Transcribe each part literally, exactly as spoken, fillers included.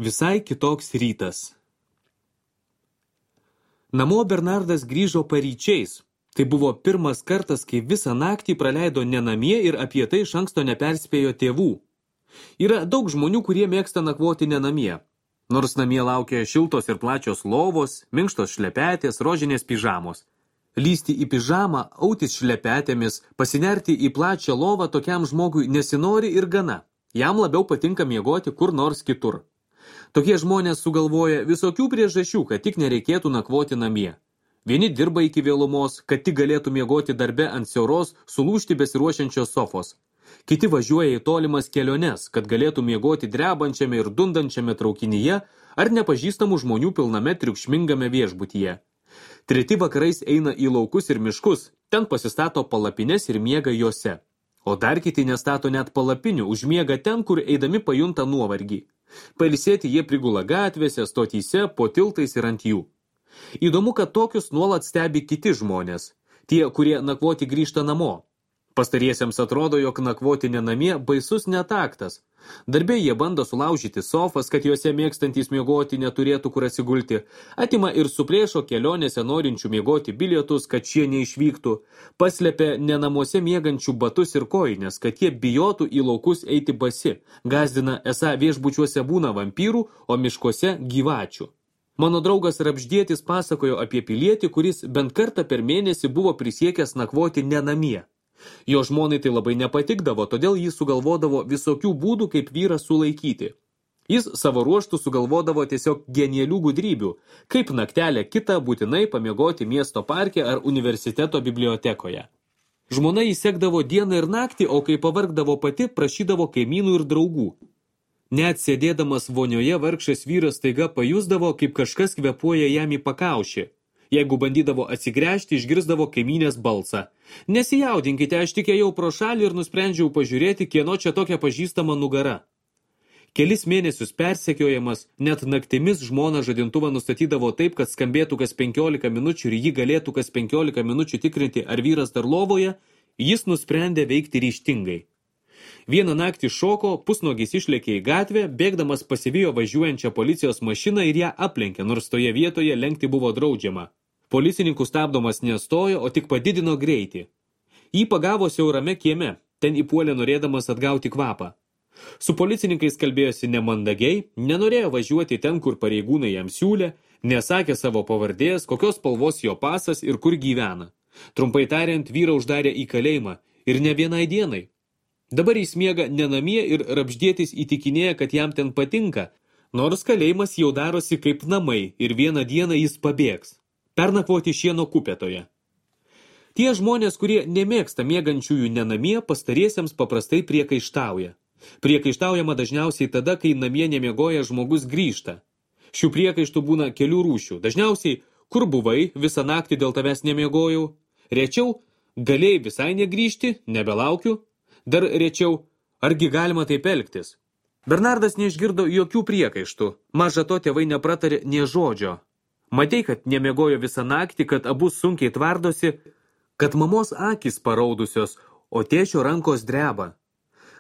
Visai kitoks rytas. Namo Bernardas grįžo paryčiais. Tai buvo pirmas kartas, kai visą naktį praleido ne namie ir apie tai iš anksto neperspėjo tėvų. Yra daug žmonių, kurie mėgsta nakvoti ne namie. Nors namie laukia šiltos ir plačios lovos, minkštos šlepetės, rožinės pižamos. Lysti į pižamą, autis šlepetėmis, pasinerti į plačią lovą tokiam žmogui nesinori ir gana. Jam labiau patinka miegoti kur nors kitur. Tokie žmonės sugalvoja visokių priežasčių, kad tik nereikėtų nakvoti namie. Vieni dirba iki vėlumos, kad tik galėtų miegoti darbe ant siauros, sulūžti besiruošiančios sofos. Kiti važiuoja į tolimas keliones, kad galėtų miegoti drebančiame ir dundančiame traukinyje ar nepažįstamų žmonių pilname triukšmingame viešbutyje. Treti vakarais eina į laukus ir miškus, ten pasistato palapines ir miega juose. O dar kiti nestato net palapinių, užmiega ten, kur eidami pajunta nuovargį. Pailsėti jie prigula gatvėse, stotyse, po tiltais ir ant jų. Įdomu, kad tokius nuolat stebi kiti žmonės, tie, kurie nakvoti grįžta namo. Pastariesiems atrodo, jog nakvoti ne namie baisus netaktas. Darbė jie bando sulaužyti sofas, kad juose mėgstantys miegoti neturėtų kur atsigulti, atima ir suplėšo kelionėse norinčių miegoti bilietus, kad šie neišvyktų, paslepia ne namuose miegančių batus ir kojines, kad jie bijotų į laukus eiti basi, gazdina esą viešbučiuose būna vampyrų, o miškuose gyvačių. Mano draugas Rapždėtis pasakojo apie pilietį, kuris bent kartą per mėnesį buvo prisiekęs nakvoti ne namie. Jo žmonai tai labai nepatikdavo, todėl jis sugalvodavo visokių būdų, kaip vyrą sulaikyti. Jis savo ruoštų sugalvodavo tiesiog genialių gudrybių, kaip naktelę kitą būtinai pamiegoti miesto parke ar universiteto bibliotekoje. Žmona įsekdavo dieną ir naktį, o kai pavargdavo pati, prašydavo kaimynų ir draugų. Net sėdėdamas vonioje vargšas vyras staiga pajusdavo, kaip kažkas kvepuoja jam į pakaušį. Jeigu bandydavo atsigręžti, išgirsdavo kaimynės balsą. Nesijaudinkite, aš tik ėjau pro šalį ir nusprendžiau pažiūrėti, kieno čia tokia pažįstama nugara. Kelis mėnesius persekiojamas, net naktimis žmona žadintuvą nustatydavo taip, kad skambėtų kas penkiolika minučių ir ji galėtų kas penkiolika minučių tikrinti, ar vyras dar lovoje, jis nusprendė veikti ryžtingai. Vieną naktį šoko, pusnogis išlėkė į gatvę, bėgdamas pasivijo važiuojančią policijos mašiną ir ją aplenkė, nors toje vietoje lenkti buvo draudžiama. Policininkų stabdomas nestojo, o tik padidino greitį. Jį pagavo siaurame kieme, ten įpuolė norėdamas atgauti kvapą. Su policininkais kalbėjosi nemandagiai, nenorėjo važiuoti ten, kur pareigūnai jam siūlė, nesakė savo pavardės, kokios spalvos jo pasas ir kur gyvena. Trumpai tariant, vyrą uždarė į kalėjimą ir ne vienai dienai. Dabar jis miega ne namie ir Rapždėtis įtikinėja, kad jam ten patinka, nors kalėjimas jau darosi kaip namai ir vieną dieną jis pabėgs. Pernakvoti šieno kupetoje. Tie žmonės, kurie nemėgsta miegančiųjų ne namie, pastariesiems paprastai priekaištauja. Priekaištaujama dažniausiai tada, kai namie nemiegoja žmogus grįžta. Šių priekaištų būna kelių rūšių. Dažniausiai, kur buvai, visą naktį dėl tavęs nemiegojau. Rečiau, galėjai visai negrįžti, nebelaukiu. Dar rečiau, argi galima taip elgtis? Bernardas neišgirdo jokių priekaištų. Maža to tėvai nepratarė nė žodžio. Matei, kad nemiegojo visą naktį, kad abu sunkiai tvardosi, kad mamos akys paraudusios, o tėčio rankos dreba.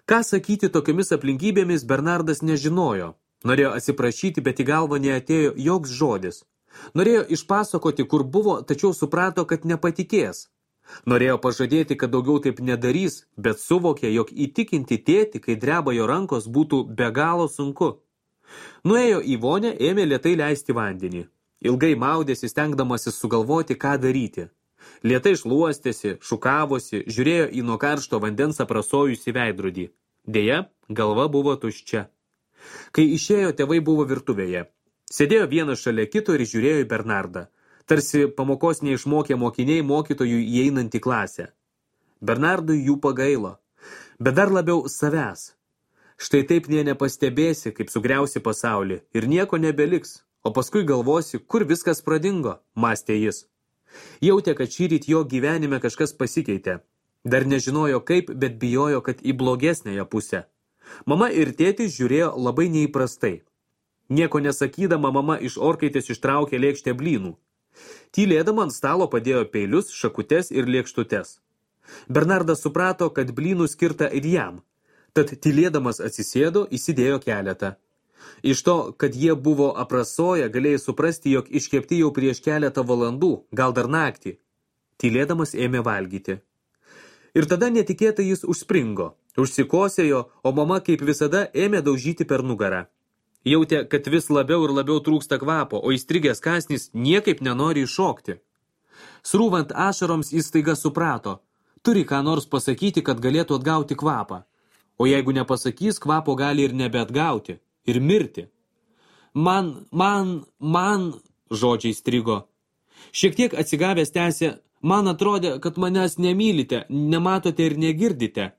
Ką sakyti tokiomis aplinkybėmis Bernardas nežinojo. Norėjo atsiprašyti, bet į galvą neatėjo joks žodis. Norėjo išpasakoti, kur buvo, tačiau suprato, kad nepatikės. Norėjo pažadėti, kad daugiau taip nedarys, bet suvokė, jog įtikinti tėtį, kai dreba jo rankos, būtų be galo sunku. Nuėjo į vonią, ėmė lėtai leisti vandenį. Ilgai maudėsi, stengdamasis sugalvoti, ką daryti. Lėtai šluostėsi, šukavosi, žiūrėjo į nuo karšto vandens aprasojusi veidrodį. Deja, galva buvo tuščia. Kai išėjo, tėvai buvo virtuvėje. Sėdėjo vienas šalia kito ir žiūrėjo į Bernardą. Tarsi pamokos neišmokė mokiniai mokytojų įeinant į klasę. Bernardui jų pagailo, bet dar labiau savęs. Štai taip nė nepastebėsi, kaip sugriausi pasaulį ir nieko nebeliks. O paskui galvosi, kur viskas pradingo, mąstė jis. Jautė, kad šįryt jo gyvenime kažkas pasikeitė. Dar nežinojo kaip, bet bijojo, kad į blogesnėją pusę. Mama ir tėtis žiūrėjo labai neįprastai. Nieko nesakydama, mama iš orkaitės ištraukė lėkštę blynų. Tylėdama ant stalo padėjo peilius, šakutes ir lėkštutes. Bernardas suprato, kad blynų skirta ir jam. Tad tylėdamas atsisėdo, įsidėjo keletą. Iš to, kad jie buvo aprasoję, galėjai suprasti, jog iškepti jau prieš keletą valandų, gal dar naktį. Tylėdamas ėmė valgyti. Ir tada netikėtai jis užspringo, užsikosėjo, o mama kaip visada ėmė daužyti per nugarą. Jautė, kad vis labiau ir labiau trūksta kvapo, o įstrigęs kąsnis niekaip nenori iššokti. Srūvant ašaroms jis staiga suprato, turi ką nors pasakyti, kad galėtų atgauti kvapą. O jeigu nepasakys, kvapo gali ir nebeatgauti, ir mirti. Man, man, man, žodžiai strigo. Šiek tiek atsigavęs tęsė, man atrodė, kad manęs nemylite, nematote ir negirdite.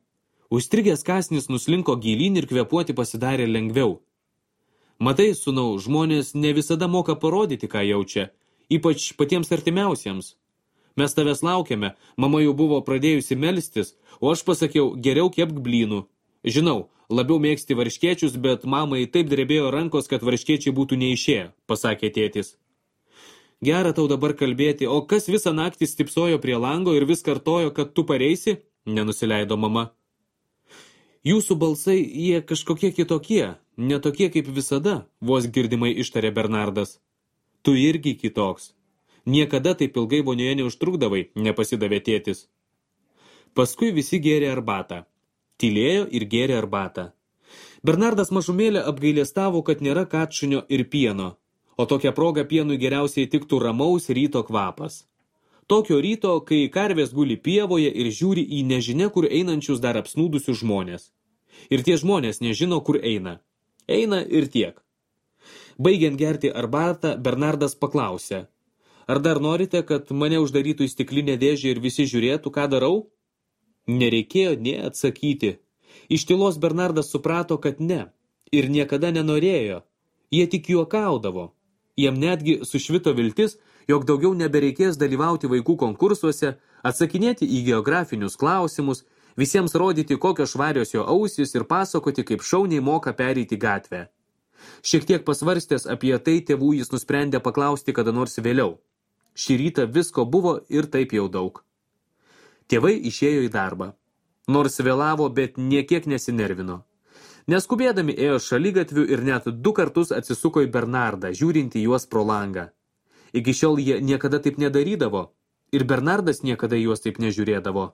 Užstrigęs kąsnis nuslinko gilyn ir kvėpuoti pasidarė lengviau. Matai, sūnau, žmonės ne visada moka parodyti, ką jaučia, ypač patiems artimiausiems. Mes tavęs laukiame, mama jau buvo pradėjusi melstis, o aš pasakiau, geriau kepk blynų. Žinau, labiau mėgsti varškėčius, bet mamai taip drebėjo rankos, kad varškėčiai būtų neišėję, pasakė tėtis. Gera tau dabar kalbėti, o kas visą naktį stipsojo prie lango ir vis kartojo, kad tu pareisi? Nenusileido mama. Jūsų balsai, jie kažkokie kitokie, ne tokie kaip visada, vos girdimai ištarė Bernardas. Tu irgi kitoks. Niekada taip ilgai vonioje neužtrukdavai, nepasidavė tėtis. Paskui visi gėrė arbatą. Tylėjo ir gėrė arbatą. Bernardas mažumėlę apgailestavo, kad nėra katšunio ir pieno, o tokia proga pienui geriausiai tiktų ramaus ryto kvapas. Tokio ryto, kai karvės guli pievoje ir žiūri į nežinia, kur einančius dar apsnūdusius žmonės. Ir tie žmonės nežino, kur eina. Eina ir tiek. Baigiant gerti arbatą, Bernardas paklausė. Ar dar norite, kad mane uždarytų į stiklinę dėžę ir visi žiūrėtų, ką darau? Nereikėjo nė atsakyti. Iš tylos Bernardas suprato, kad ne. Ir niekada nenorėjo. Jie tik juokaudavo. Jam netgi sušvito viltis, jog daugiau nebereikės dalyvauti vaikų konkursuose, atsakinėti į geografinius klausimus, visiems rodyti, kokios švarios jo ausys ir pasakoti, kaip šauniai moka pereiti gatvę. Šiek tiek pasvarstęs apie tai, tėvų jis nusprendė paklausti kada nors vėliau. Šį rytą visko buvo ir taip jau daug. Tėvai išėjo į darbą. Nors vėlavo, bet niekiek nesinervino. Neskubėdami ėjo šaligatviu ir net du kartus atsisuko į Bernardą, žiūrinti juos pro langą. Iki šiol jie niekada taip nedarydavo, ir Bernardas niekada juos taip nežiūrėdavo.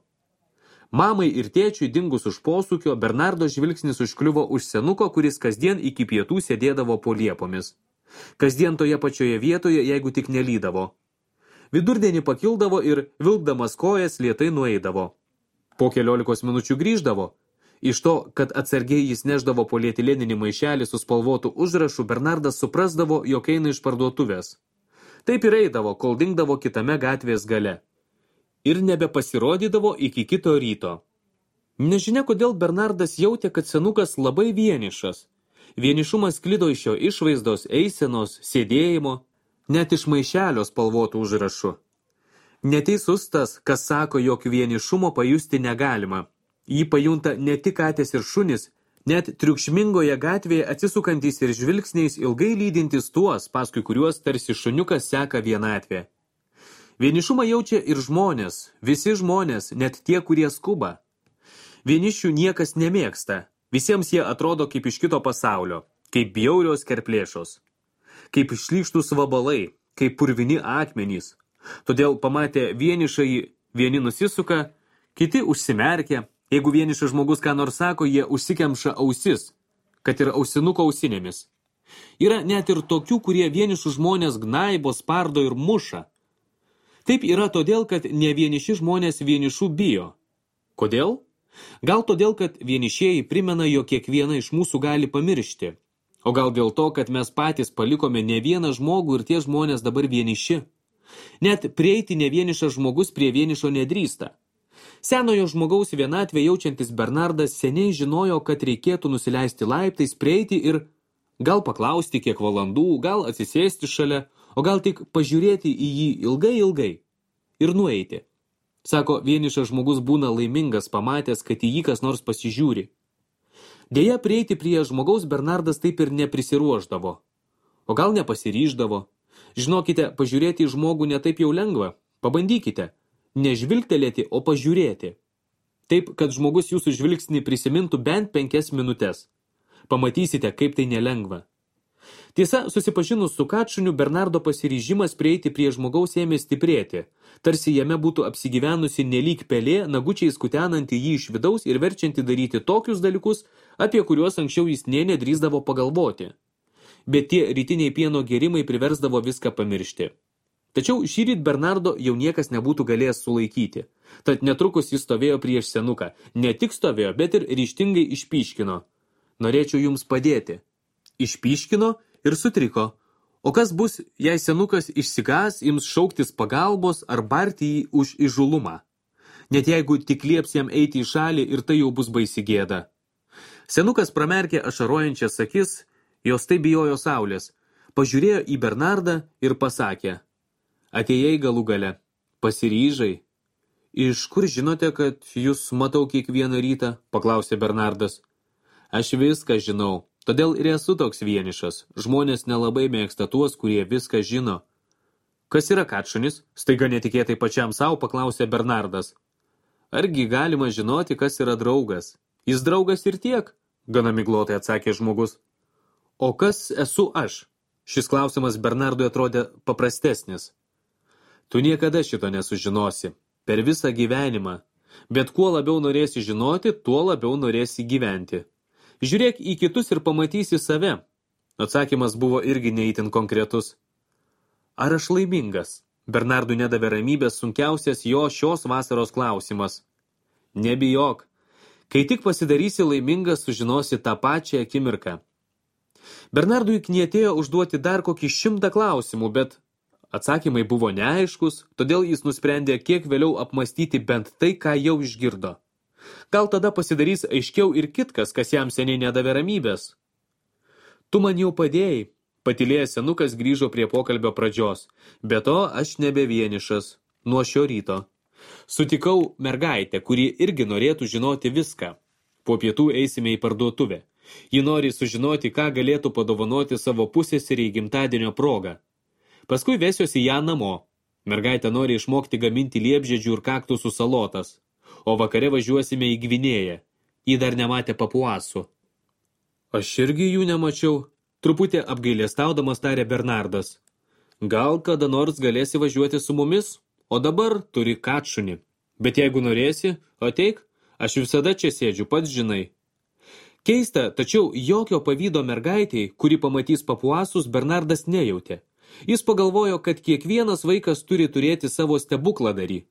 Mamai ir tėčiui dingus už posūkio, Bernardo žvilgsnis užkliuvo už senuko, kuris kasdien iki pietų sėdėdavo po liepomis. Kasdien toje pačioje vietoje, jeigu tik nelydavo. Vidurdienį pakildavo ir, vilkdamas kojas, lėtai nueidavo. Po keliolikos minučių grįždavo. Iš to, kad atsargiai jis neždavo polietileninį maišelį su spalvotu užrašu, Bernardas suprasdavo, jog eina iš parduotuvės. Taip ir eidavo, kol dingdavo kitame gatvės gale. Ir nebepasirodydavo iki kito ryto. Nežinia, kodėl Bernardas jautė, kad senukas labai vienišas. Vienišumas sklido iš jo išvaizdos, eisenos, sėdėjimo, net iš maišelio spalvotų užrašų. Neteisus tas, kas sako, jog vienišumo pajusti negalima. Jį pajunta ne tik katės ir šunis, net triukšmingoje gatvėje atsisukantys ir žvilgsniais ilgai lydintys tuos, paskui kuriuos tarsi šuniukas seka vienatvė. Vienišumą jaučia ir žmonės, visi žmonės, net tie, kurie skuba. Vienišių niekas nemėgsta, visiems jie atrodo kaip iš kito pasaulio, kaip bjaurios kerplėšos, kaip šlykštūs vabalai, kaip purvini akmenys. Todėl pamatę vienišąjį, vieni nusisuka, kiti užsimerkia. Jeigu vienišas žmogus ką nors sako, jie užsikemša ausis, kad ir ausinuko ausinėmis. Yra net ir tokių, kurie vienišų žmonės gnaibo, spardo ir muša. Taip yra todėl, kad ne vieniši žmonės vienišų bijo. Kodėl? Gal todėl, kad vienišieji primena, jog kiekvieną iš mūsų gali pamiršti. O gal dėl to, kad mes patys palikome ne vieną žmogų ir tie žmonės dabar vieniši. Net prieiti ne vienišas žmogus prie vienišo nedrįsta. Senojo žmogaus vienatvę jaučiantis Bernardas seniai žinojo, kad reikėtų nusileisti laiptais, prieiti ir gal paklausti kiek valandų, gal atsisėsti šalia, o gal tik pažiūrėti į jį ilgai ilgai ir nueiti. Sako, vienišas žmogus būna laimingas pamatęs, kad į jį kas nors pasižiūri. Deja, prieiti prie žmogaus Bernardas taip ir neprisiruošdavo, o gal nepasiryždavo. Žinokite, pažiūrėti į žmogų netaip jau lengva. Pabandykite. Nežvilgtelėti, o pažiūrėti. Taip, kad žmogus jūsų žvilgsnį prisimintų bent penkias minutes. Pamatysite, kaip tai nelengva. Tiesa, susipažinus su kačuniu, Bernardo pasiryžimas prieiti prie žmogaus ėmė stiprėti, tarsi jame būtų apsigyvenusi nelyg pelė, nagučiais kutenanti jį iš vidaus ir verčianti daryti tokius dalykus, apie kuriuos anksčiau jis nė nedrįsdavo pagalvoti. Bet tie rytiniai pieno gėrimai priversdavo viską pamiršti. Tačiau šįryt Bernardo jau niekas nebūtų galėjęs sulaikyti. Tad netrukus jis stovėjo prieš senuką. Ne tik stovėjo, bet ir ryžtingai išpyškino. Norėčiau jums padėti. Išpyškino ir sutriko. O kas bus, jei senukas išsigas, ims šauktis pagalbos ar barti jį už įžulumą? Net jeigu tik lieps jam eiti į šalį ir tai jau bus baisi gėda. Senukas pramerkė ašarojančias akis, jos tai bijojo saulės, pažiūrėjo į Bernardą ir pasakė: Atėjai galų gale, pasiryžai. Iš kur žinote, kad jūs matau kiekvieną rytą? Paklausė Bernardas. Aš viską žinau, todėl ir esu toks vienišas. Žmonės nelabai mėgsta tuos, kurie viską žino. Kas yra kačunis? Staiga netikėtai pačiam savo paklausė Bernardas. Argi galima žinoti, kas yra draugas? Jis draugas ir tiek, gana miglotai atsakė žmogus. O kas esu aš? Šis klausimas Bernardui atrodė paprastesnis. Tu niekada šito nesužinosi, per visą gyvenimą, bet kuo labiau norėsi žinoti, tuo labiau norėsi gyventi. Žiūrėk į kitus ir pamatysi save. Atsakymas buvo irgi neįtin konkretus. Ar aš laimingas? Bernardui nedavė ramybės sunkiausias jo šios vasaros klausimas. Nebijok, kai tik pasidarysi laimingas, sužinosi tą pačią akimirką. Bernardui knietėjo užduoti dar kokį šimtą klausimų, bet atsakymai buvo neaiškus, todėl jis nusprendė kiek vėliau apmastyti bent tai, ką jau išgirdo. Gal tada pasidarys aiškiau ir kitkas, kas jam seniai nedavė ramybės. Tu man jau padėjai, patylėjęs senukas grįžo prie pokalbio pradžios. Be to, aš nebe vienišas, nuo šio ryto. Sutikau mergaitę, kuri irgi norėtų žinoti viską. Po pietų eisime į parduotuvę. Ji nori sužinoti, ką galėtų padovanoti savo pusseserei gimtadienio progą. Paskui vesiuosi ją namo. Mergaitė nori išmokti gaminti liepžiedžių ir kaktusų salotas. O vakare važiuosime į Gvinėją. Ji dar nematė papuasų. Aš irgi jų nemačiau, truputį apgailestaudamas tarė Bernardas. Gal kada nors galėsi važiuoti su mumis, o dabar turi kačunį. Bet jeigu norėsi, ateik, aš visada čia sėdžiu, pats žinai. Keista, tačiau jokio pavydo mergaitei, kuri pamatys papuasus, Bernardas nejautė. Jis pagalvojo, kad kiekvienas vaikas turi turėti savo stebukladarį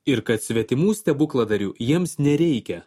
ir kad svetimų stebukladarių jiems nereikia.